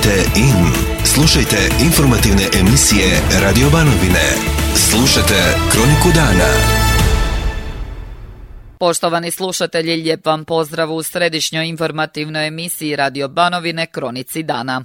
Tunite in. Slušajte informativne emisije Radio Banovine. Slušajte Kroniku dana. Poštovani slušatelji, lijep vam pozdrav u središnjoj informativnoj emisiji Radio Banovine Kronici dana.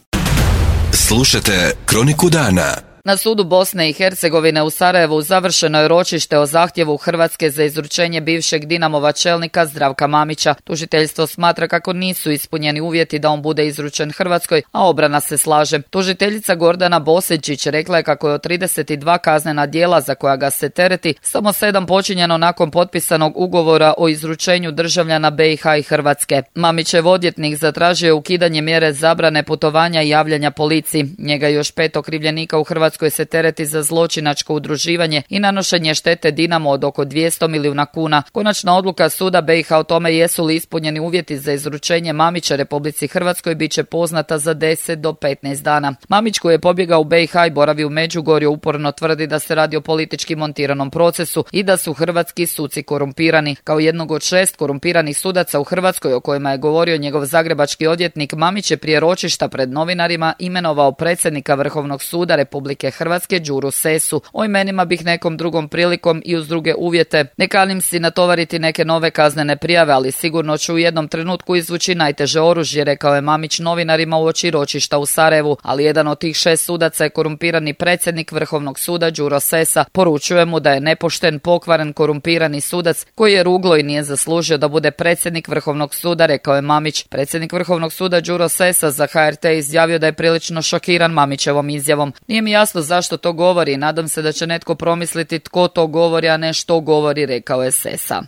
Slušajte Kroniku dana. Na sudu Bosne i Hercegovine u Sarajevu završeno je ročište o zahtjevu Hrvatske za izručenje bivšeg Dinamova čelnika Zdravka Mamića. Tužiteljstvo smatra kako nisu ispunjeni uvjeti da on bude izručen Hrvatskoj, a obrana se slaže. Tužiteljica Gordana Boseđić rekla je kako je od 32 kaznena djela za koja ga se tereti, samo 7 počinjeno nakon potpisanog ugovora o izručenju državljana BiH i Hrvatske. Mamićev odvjetnik zatražio je ukidanje mjere zabrane putovanja i javljanja policiji. Njega i još 5 okrivljenika u Hrvatskoj se tereti za zločinačko udruživanje i nanošenje štete Dinamo od oko 200 milijuna kuna. Konačna odluka suda BiH o tome jesu li ispunjeni uvjeti za izručenje Mamića Republici Hrvatskoj bit će poznata za 10 do 15 dana. Mamić, koji je pobjegao u BiH i boravi u Međugorju, uporno tvrdi da se radi o politički montiranom procesu i da su hrvatski suci korumpirani. Kao jednog od 6 korumpiranih sudaca u Hrvatskoj o kojima je govorio njegov zagrebački odvjetnik, Mamić je prije ročišta pred novinarima imenovao predsjednika Vrhovnog suda Republike Hrvatske Đuru Sesu. O imenima bih nekom drugom prilikom i uz druge uvjete. Ne kanim si natovariti neke nove kaznene prijave, ali sigurno ću u jednom trenutku izvući najteže oružje, rekao je Mamić novinarima uoči ročišta u Sarajevu, ali jedan od tih 6 sudaca je korumpirani predsjednik Vrhovnog suda Đuro Sesa. Poručuje mu da je nepošten, pokvaren, korumpirani sudac koji je ruglo i nije zaslužio da bude predsjednik Vrhovnog suda, rekao je Mamić. Predsjednik Vrhovnog suda Đuro Sesa za HRT izjavio da je prilično šokiran Mamićevom izjavom. Nije mi jasno zašto to govori, nadam se da će netko promisliti tko to govori, a ne što govori, rekao je Sesa.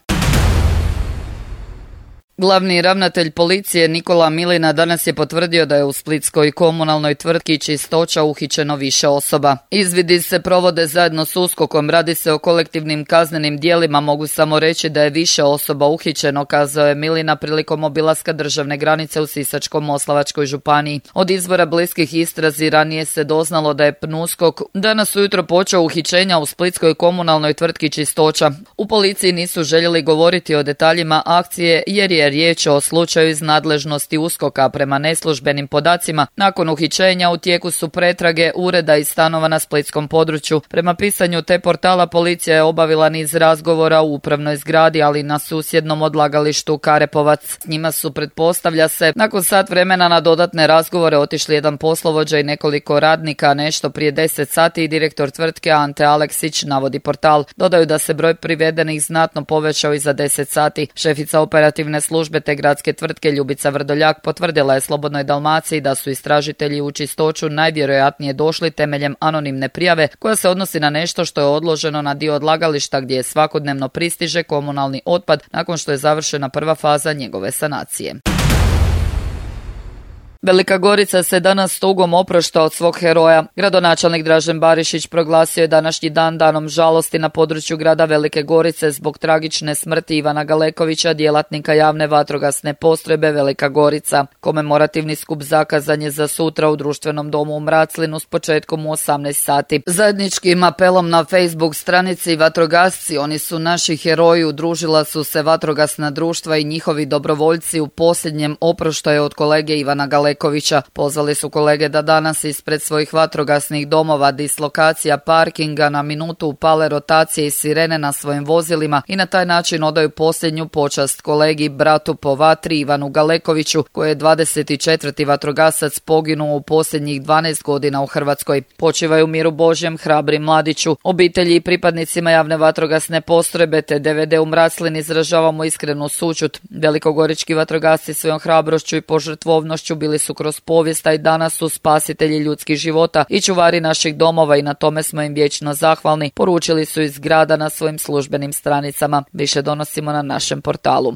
Glavni ravnatelj policije Nikola Milina danas je potvrdio da je u splitskoj komunalnoj tvrtki Čistoća uhićeno više osoba. Izvidi se provode zajedno s USKOK-om, radi se o kolektivnim kaznenim djelima, mogu samo reći da je više osoba uhićeno, kazao je Milina prilikom obilaska državne granice u Sisačko-moslavačkoj županiji. Od izvora bliskih istrazi ranije se doznalo da je PNUSKOK danas ujutro počeo uhićenja u splitskoj komunalnoj tvrtki Čistoća. U policiji nisu željeli govoriti o detaljima akcije jer je riječ o slučaju iz nadležnosti USKOK-a. Prema neslužbenim podacima, nakon uhićenja u tijeku su pretrage ureda i stanova na splitskom području. Prema pisanju te portala, policija je obavila niz razgovora u upravnoj zgradi, ali i na susjednom odlagalištu Karepovac. S njima su, pretpostavlja se, nakon sat vremena na dodatne razgovore otišli jedan poslovođa i nekoliko radnika. Nešto prije 10 sati i direktor tvrtke Ante Aleksić, navodi portal. Dodaju da se broj privedenih znatno povećao i za 10 sati. Šefica operativne službe te gradske tvrtke Ljubica Vrdoljak potvrdila je Slobodnoj Dalmaciji da su istražitelji u Čistoću najvjerojatnije došli temeljem anonimne prijave koja se odnosi na nešto što je odloženo na dio odlagališta gdje svakodnevno pristiže komunalni otpad nakon što je završena prva faza njegove sanacije. Velika Gorica se danas tugom oprošta od svog heroja. Gradonačelnik Dražen Barišić proglasio je današnji dan danom žalosti na području grada Velike Gorice zbog tragične smrti Ivana Galekovića, djelatnika javne vatrogasne postrojbe Velika Gorica. Komemorativni skup zakazan je za sutra u društvenom domu u Mraclinu s početkom u 18 sati. Zajedničkim apelom na Facebook stranici Vatrogasci, oni su naši heroji, udružila su se vatrogasna društva i njihovi dobrovoljci u posljednjem oproštaju od kolege Ivana Galekovića. Pozvali su kolege da danas ispred svojih vatrogasnih domova, dislokacija, parkinga na minutu upale rotacije i sirene na svojim vozilima i na taj način odaju posljednju počast kolegi, bratu po vatri Ivanu Galekoviću, koji je 24. vatrogasac poginuo u posljednjih 12 godina u Hrvatskoj. Počivaju u miru Božjem, hrabri mladiću. Obitelji i pripadnicima javne vatrogasne postrojbe te DVD u Mraclin izražavamo iskrenu sućut. Velikogorički vatrogasci svojom hrabrošću i požrtvovnošću bili su kroz povijest, a i danas su spasitelji ljudskih života i čuvari naših domova i na tome smo im vječno zahvalni, poručili su iz grada na svojim službenim stranicama. Više donosimo na našem portalu.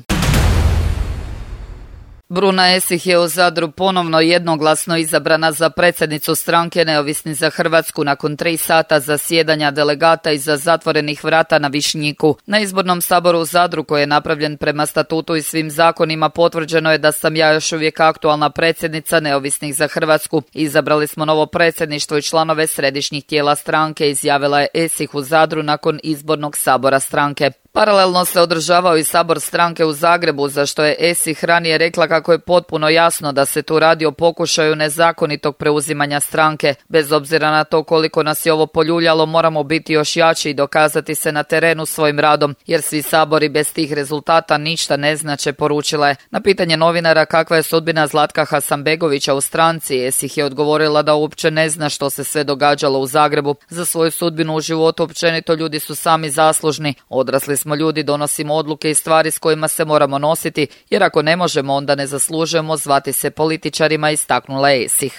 Bruna Esih je u Zadru ponovno jednoglasno izabrana za predsjednicu stranke Neovisni za Hrvatsku nakon 3 sata zasjedanja delegata iza zatvorenih vrata na Višnjiku. Na izbornom saboru u Zadru, koji je napravljen prema statutu i svim zakonima, potvrđeno je da sam ja još uvijek aktualna predsjednica Neovisnih za Hrvatsku. Izabrali smo novo predsjedništvo i članove središnjih tijela stranke, izjavila je Esih u Zadru nakon izbornog sabora stranke. Paralelno se održavao i sabor stranke u Zagrebu, za što je ESIH ranije rekla kako je potpuno jasno da se tu radi o pokušaju nezakonitog preuzimanja stranke. Bez obzira na to koliko nas je ovo poljuljalo, moramo biti još jači i dokazati se na terenu svojim radom, jer svi sabori bez tih rezultata ništa ne znače, poručila je. Na pitanje novinara kakva je sudbina Zlatka Hasanbegovića u stranci, ESIH je odgovorila da uopće ne zna što se sve događalo u Zagrebu. Za svoju sudbinu u životu općenito ljudi su sami zaslužni. Odrasli smo ljudi, donosimo odluke i stvari s kojima se moramo nositi, jer ako ne možemo, onda ne zaslužujemo zvati se političarima, istaknula je ESIH.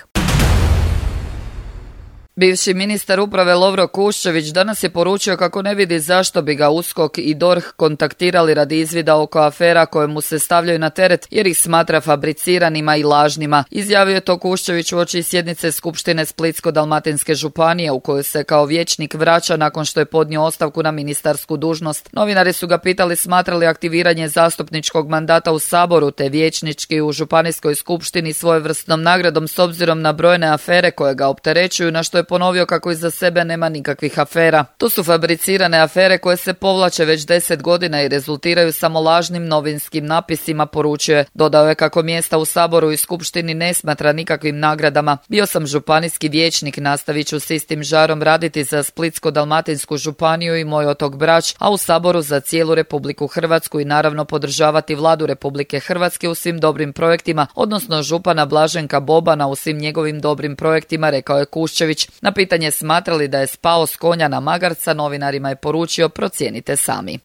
Bivši ministar uprave Lovro Kuščević danas je poručio kako ne vidi zašto bi ga USKOK i DORH kontaktirali radi izvida oko afera koje mu se stavljaju na teret, jer ih smatra fabriciranima i lažnima. Izjavio je to Kuščević uoči sjednice Skupštine Splitsko-dalmatinske županije u kojoj se kao vijećnik vraća nakon što je podnio ostavku na ministarsku dužnost. Novinari su ga pitali smatra li aktiviranje zastupničkog mandata u Saboru te vijećnički u Županijskoj skupštini svojevrsnom nagradom s obzirom na brojne afere koje ga opterećuju, na što je ponovio kako iza sebe nema nikakvih afera. To su fabricirane afere koje se povlače već 10 godina i rezultiraju samo lažnim novinskim napisima, poručio je. Dodao je kako mjesta u Saboru i Skupštini ne smatra nikakvim nagradama. Bio sam županijski vijećnik, nastavit ću s istim žarom raditi za Splitsko-dalmatinsku županiju i moj otok Brač, a u Saboru za cijelu Republiku Hrvatsku i naravno podržavati vladu Republike Hrvatske u svim dobrim projektima, odnosno župana Blaženka Bobana u svim njegovim dobrim projektima, rekao je Kuščević. Na pitanje smatrali da je spao s konja na magarca, novinarima je poručio procijenite sami.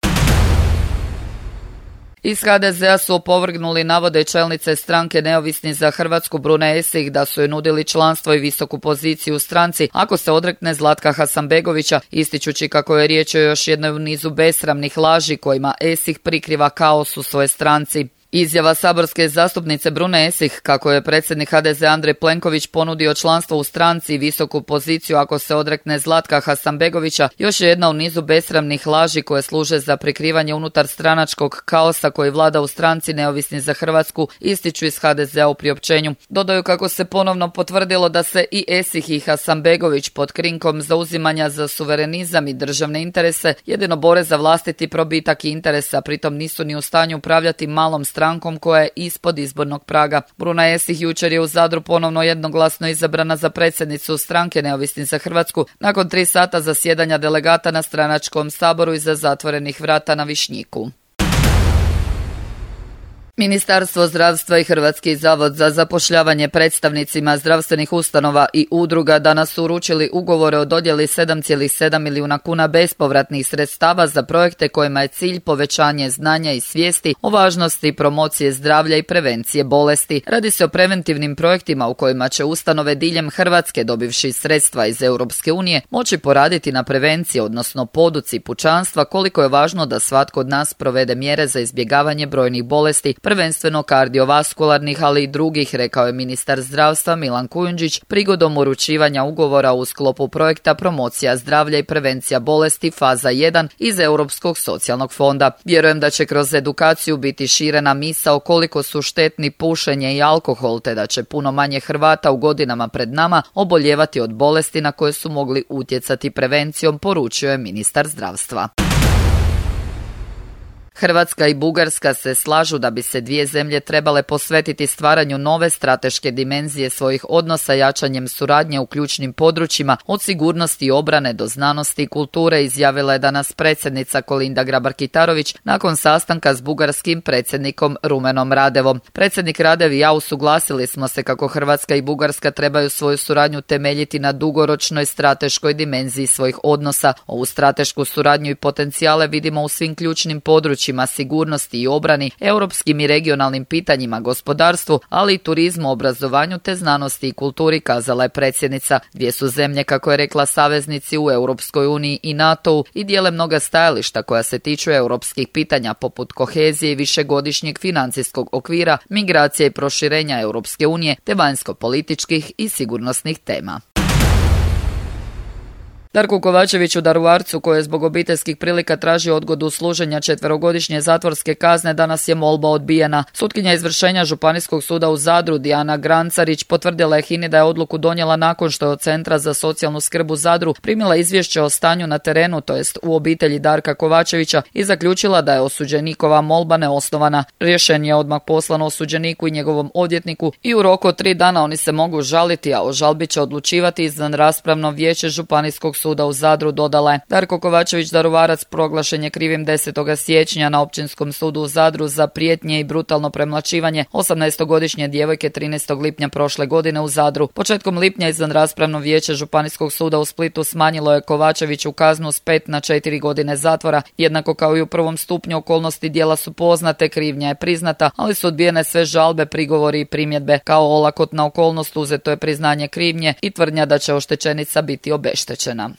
Iz HDZ-a su opovrgnuli navode čelnice stranke Neovisni za Hrvatsku Brune Esih da su joj nudili članstvo i visoku poziciju u stranci ako se odrekne Zlatka Hasanbegovića, ističući kako je riječ o još jednoj u nizu besramnih laži kojima Esih prikriva kaos u svojoj stranci. Izjava saborske zastupnice Brune Esih kako je predsjednik HDZ Andrej Plenković ponudio članstvo u stranci i visoku poziciju ako se odrekne Zlatka Hasanbegovića još je jedna u nizu besramnih laži koje služe za prikrivanje unutar stranačkog kaosa koji vlada u stranci Neovisni za Hrvatsku, ističu iz HDZ-a u priopćenju. Dodaju kako se ponovno potvrdilo da se i Esih i Hasanbegović pod krinkom zauzimanja za suverenizam i državne interese jedino bore za vlastiti probitak i interesa, pritom nisu ni u stanju upravljati malom strankom koja je ispod izbornog praga. Bruna Esih jučer je u Zadru ponovno jednoglasno izabrana za predsjednicu stranke Neovisni za Hrvatsku nakon 3 sata zasjedanja delegata na stranačkom saboru iza zatvorenih vrata na Višnjiku. Ministarstvo zdravstva i Hrvatski zavod za zapošljavanje predstavnicima zdravstvenih ustanova i udruga danas su uručili ugovore o dodjeli 7,7 milijuna kuna bespovratnih sredstava za projekte kojima je cilj povećanje znanja i svijesti o važnosti promocije zdravlja i prevencije bolesti. Radi se o preventivnim projektima u kojima će ustanove diljem Hrvatske, dobivši sredstva iz Europske unije, moći poraditi na prevenciji, odnosno poduci pučanstva koliko je važno da svatko od nas provede mjere za izbjegavanje brojnih bolesti, prvenstveno kardiovaskularnih, ali i drugih, rekao je ministar zdravstva Milan Kujundžić prigodom uručivanja ugovora u sklopu projekta Promocija zdravlja i prevencija bolesti faza 1 iz Europskog socijalnog fonda. Vjerujem da će kroz edukaciju biti širena misao koliko su štetni pušenje i alkohol, te da će puno manje Hrvata u godinama pred nama oboljevati od bolesti na koje su mogli utjecati prevencijom, poručio je ministar zdravstva. Hrvatska i Bugarska se slažu da bi se dvije zemlje trebale posvetiti stvaranju nove strateške dimenzije svojih odnosa jačanjem suradnje u ključnim područjima od sigurnosti i obrane do znanosti i kulture, izjavila je danas predsjednica Kolinda Grabar-Kitarović nakon sastanka s bugarskim predsjednikom Rumenom Radevom. Predsjednik Radev i ja usuglasili smo se kako Hrvatska i Bugarska trebaju svoju suradnju temeljiti na dugoročnoj strateškoj dimenziji svojih odnosa. Ovu stratešku suradnju i potencijale vidimo u svim ključnim područjima sigurnosti i obrani, europskim i regionalnim pitanjima, gospodarstvu, ali i turizmu, obrazovanju te znanosti i kulturi, kazala je predsjednica. Dvije su zemlje, kako je rekla, saveznici u Europskoj uniji i NATO-u i dijele mnoga stajališta koja se tiču europskih pitanja poput kohezije i višegodišnjeg financijskog okvira, migracije i proširenja Europske unije te vanjsko-političkih i sigurnosnih tema. Darku Kovačeviću Daruvarcu, koji je zbog obiteljskih prilika tražio odgodu služenja 4-godišnje zatvorske kazne, danas je molba odbijena. Sutkinja izvršenja Županijskog suda u Zadru Dijana Grancarić potvrdila je HINA-i da je odluku donijela nakon što je od Centra za socijalnu skrb u Zadru primila izvješće o stanju na terenu, to jest u obitelji Darka Kovačevića, i zaključila da je osuđenikova molba neosnovana. Rješenje je odmah poslano osuđeniku i njegovom odvjetniku i u roku od 3 dana oni se mogu žaliti, a o žalbi će odlučivati izvanraspravno vijeće Županijskog suda u Zadru, dodala je. Darko Kovačević Daruvarac proglašen je krivim 10. siječnja na Općinskom sudu u Zadru za prijetnje i brutalno premlaćivanje 18-godišnje djevojke 13. lipnja prošle godine u Zadru. Početkom lipnja izvanraspravno vijeće Županijskog suda u Splitu smanjilo je Kovačeviću kaznu s 5 na 4 godine zatvora. Jednako kao i u prvom stupnju, okolnosti djela su poznate, krivnja je priznata, ali su odbijene sve žalbe, prigovori i primjedbe. Kao olakotna okolnost uzeto je priznanje krivnje i tvrdnja da će oštećenica biti obeštećena.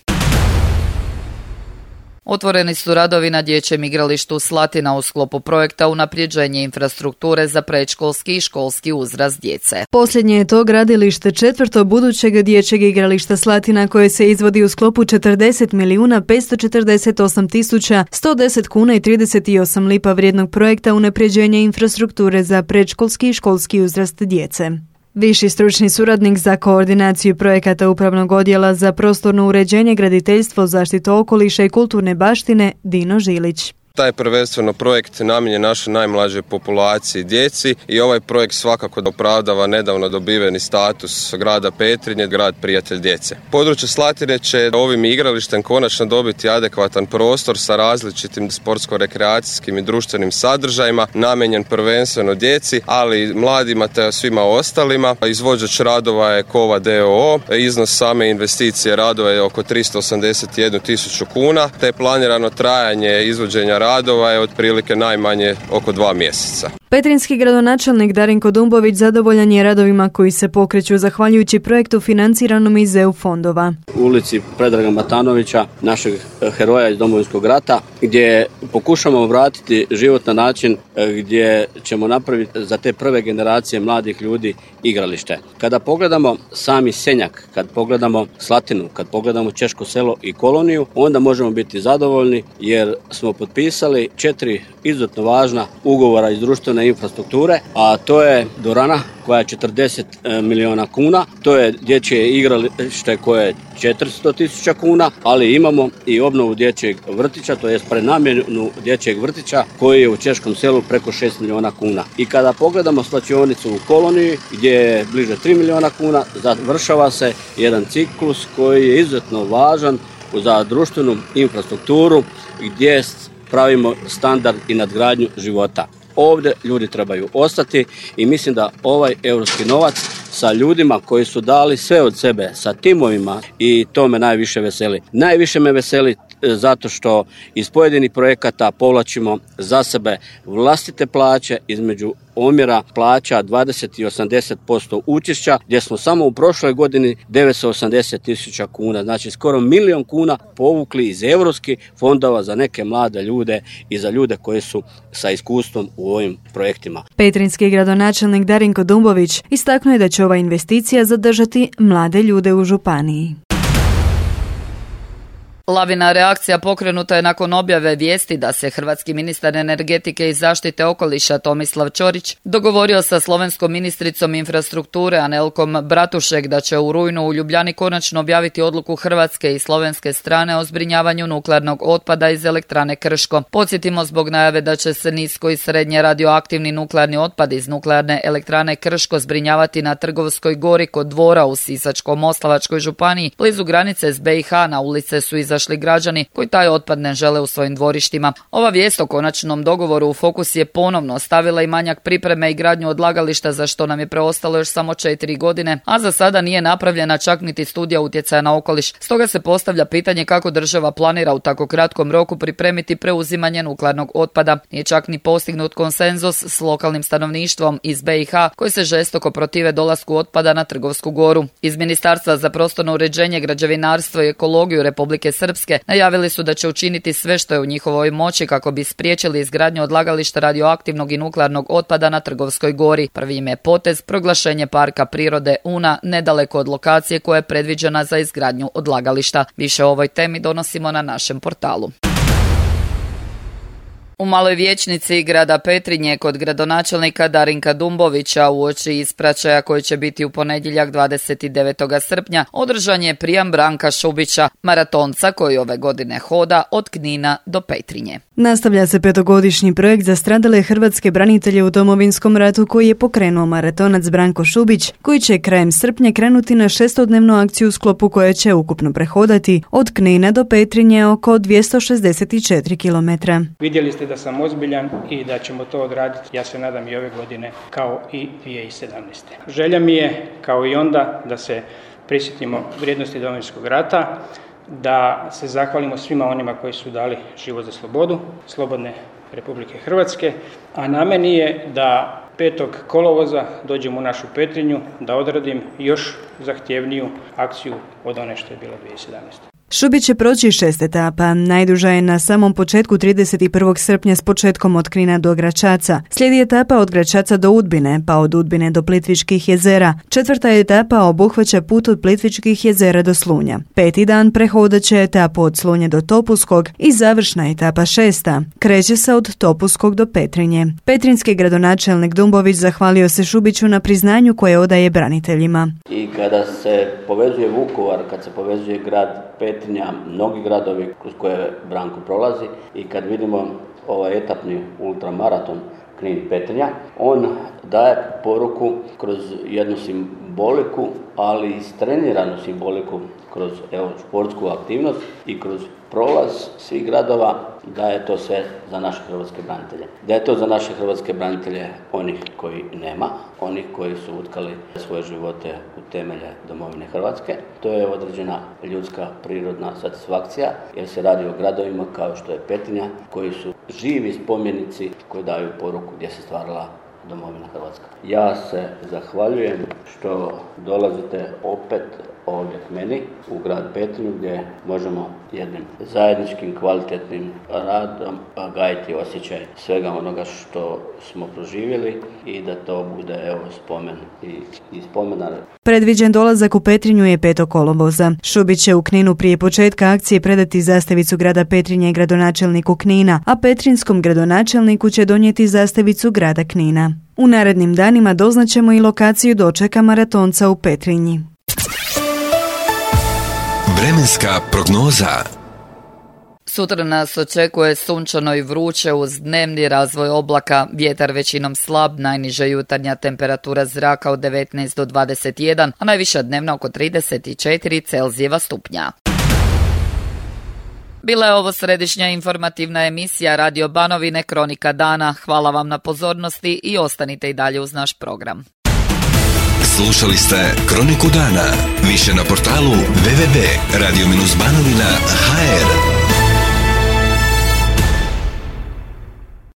Otvoreni su radovi na dječjem igralištu Slatina u sklopu projekta unapređenje infrastrukture za predškolski i školski uzrast djece. Posljednje je to gradilište četvrto budućeg dječjeg igrališta Slatina koje se izvodi u sklopu 40.548.110 kuna i 38 lipa vrijednog projekta unapređenje infrastrukture za predškolski i školski uzrast djece. Viši stručni suradnik za koordinaciju projekata Upravnog odjela za prostorno uređenje, graditeljstvo, zaštitu okoliša i kulturne baštine Dino Žilić. Taj je prvenstveno projekt namijenjen našoj najmlađoj populaciji djeci i ovaj projekt svakako opravdava nedavno dobiveni status grada Petrinje, grad prijatelj djece. Područje Slatine će ovim igralištem konačno dobiti adekvatan prostor sa različitim sportsko-rekreacijskim i društvenim sadržajima, namijenjen prvenstveno djeci, ali i mladima te svima ostalima. Izvođač radova je Kova d.o.o. Iznos same investicije radova je oko 381.000 kuna, te planirano trajanje izvođenja radova je otprilike najmanje oko 2 mjeseca. Petrinjski gradonačelnik Darinko Dumbović zadovoljan je radovima koji se pokreću zahvaljujući projektu financiranom iz EU fondova. U ulici Predraga Matanovića, našeg heroja iz Domovinskog rata, gdje pokušamo vratiti život na način gdje ćemo napraviti za te prve generacije mladih ljudi igralište. Kada pogledamo sami Senjak, kad pogledamo Slatinu, kad pogledamo Češko selo i koloniju, onda možemo biti zadovoljni jer smo potpisali 4 izuzetno važna ugovora iz društvene infrastrukture, a to je dvorana koja je 40 milijuna kuna, to je dječje igralište koje je 400.000 kuna, ali imamo i obnovu dječjeg vrtića, to je prenamjenu dječjeg vrtića koji je u Češkom selu preko 6 milijuna kuna. I kada pogledamo slačionicu u koloniji gdje je bliže 3 milijuna kuna, završava se jedan ciklus koji je izuzetno važan za društvenu infrastrukturu gdje pravimo standard i nadgradnju života. Ovdje ljudi trebaju ostati i mislim da ovaj europski novac sa ljudima koji su dali sve od sebe, sa timovima, i to me najviše veseli. Najviše me veseli zato što iz pojedinih projekata povlačimo za sebe vlastite plaće između omjera plaća 20 i 80% učešća, gdje smo samo u prošloj godini 980.000 kuna, znači skoro 1 milijun kuna povukli iz europskih fondova za neke mlade ljude i za ljude koji su sa iskustvom u ovim projektima. Petrinjski gradonačelnik Darinko Dumbović istaknuo je da će ova investicija zadržati mlade ljude u županiji. Lavina reakcija pokrenuta je nakon objave vijesti da se hrvatski ministar energetike i zaštite okoliša Tomislav Ćorić dogovorio sa slovenskom ministricom infrastrukture Anelkom Bratušek da će u rujnu u Ljubljani konačno objaviti odluku hrvatske i slovenske strane o zbrinjavanju nuklearnog otpada iz elektrane Krško. Podsjetimo, zbog najave da će se nisko i srednje radioaktivni nuklearni otpad iz nuklearne elektrane Krško zbrinjavati na Trgovskoj gori kod Dvora u Sisačko-moslavačkoj županiji, blizu granice s BiH, na ulice su izašli građani koji taj otpad ne žele u svojim dvorištima. Ova vijest o konačnom dogovoru u fokus je ponovno stavila i manjak pripreme i gradnju odlagališta, za što nam je preostalo još samo 4 godine, a za sada nije napravljena čak niti studija utjecaja na okoliš. Stoga se postavlja pitanje kako država planira u tako kratkom roku pripremiti preuzimanje nuklearnog otpada. Nije čak ni postignut konsenzus s lokalnim stanovništvom iz BiH koji se žestoko protive dolasku otpada na Trgovsku goru. Iz Ministarstva za prostorno uređenje, građevinarstvo i ekologiju Republike Srpske Srpske najavili su da će učiniti sve što je u njihovoj moći kako bi spriječili izgradnju odlagališta radioaktivnog i nuklearnog otpada na Trgovskoj gori. Prvi im je potez proglašenje parka prirode Una nedaleko od lokacije koja je predviđena za izgradnju odlagališta. Više o ovoj temi donosimo na našem portalu. U Maloj vijećnici grada Petrinje kod gradonačelnika Darinka Dumbovića uoči ispraćaja koji će biti u ponedjeljak 29. srpnja održan je prijam Branka Šubića, maratonca koji ove godine hoda od Knina do Petrinje. Nastavlja se 5-godišnji projekt za stradale hrvatske branitelje u Domovinskom ratu koji je pokrenuo maratonac Branko Šubić, koji će krajem srpnja krenuti na 6-dnevnu akciju u sklopu koje će ukupno prehodati od Knina do Petrinje oko 264 km. Vidjeli ste da sam ozbiljan i da ćemo to odraditi, ja se nadam, i ove godine kao i 2017. Želja mi je, kao i onda, da se prisjetimo vrijednosti Domovinskog rata, da se zahvalimo svima onima koji su dali život za slobodu, slobodne Republike Hrvatske, a na meni je da 5. kolovoza dođem u našu Petrinju, da odradim još zahtjevniju akciju od one što je bila 2017. Šubić će proći 6 etapa. Najduža je na samom početku 31. srpnja s početkom od Knina do Gračaca. Slijedi etapa od Gračaca do Udbine, pa od Udbine do Plitvičkih jezera. 4. etapa obuhvaća put od Plitvičkih jezera do Slunja. 5. dan prehodat će etapu od Slunja do Topuskog i završna etapa 6. kreće se od Topuskog do Petrinje. Petrinjski gradonačelnik Dumbović zahvalio se Šubiću na priznanju koje odaje braniteljima. I kada se povezuje Vukovar, kad se povezuje grad Petrinja, mnogi gradovi kroz koje Branko prolazi, i kad vidimo ovaj etapni ultramaraton Knin-Petrinja, on daje poruku kroz jednu simboliku, ali i istreniranu simboliku kroz sportsku aktivnost i kroz prolaz svih gradova, da je to sve za naše hrvatske branitelje. Da je to za naše hrvatske branitelje onih koji nema, onih koji su utkali svoje živote u temelje domovine Hrvatske. To je određena ljudska prirodna satisfakcija, jer se radi o gradovima kao što je Petrinja, koji su živi spomenici koji daju poruku gdje se stvarala domovina Hrvatska. Ja se zahvaljujem što dolazite opet ovdje k meni u grad Petrinju, gdje možemo jednim zajedničkim kvalitetnim radom gajiti osjećaj svega onoga što smo proživjeli i da to bude spomen i spomenar. Predviđen dolazak u Petrinju je 5. kolovoza. Šubić će u Kninu prije početka akcije predati zastavicu grada Petrinje gradonačelniku Knina, a petrinjskom gradonačelniku će donijeti zastavicu grada Knina. U narednim danima doznaćemo i lokaciju dočeka maratonca u Petrinji. Vremenska prognoza. Sutra nas očekuje sunčano i vruće uz dnevni razvoj oblaka, vjetar većinom slab, najniža jutarnja temperatura zraka od 19 do 21, a najviša dnevna oko 34 Celzijeva stupnja. Bila je ovo središnja informativna emisija Radio Banovine Kronika dana. Hvala vam na pozornosti i ostanite i dalje uz naš program. Slušali ste Kroniku dana. Više na portalu www.radio-banovina.hr.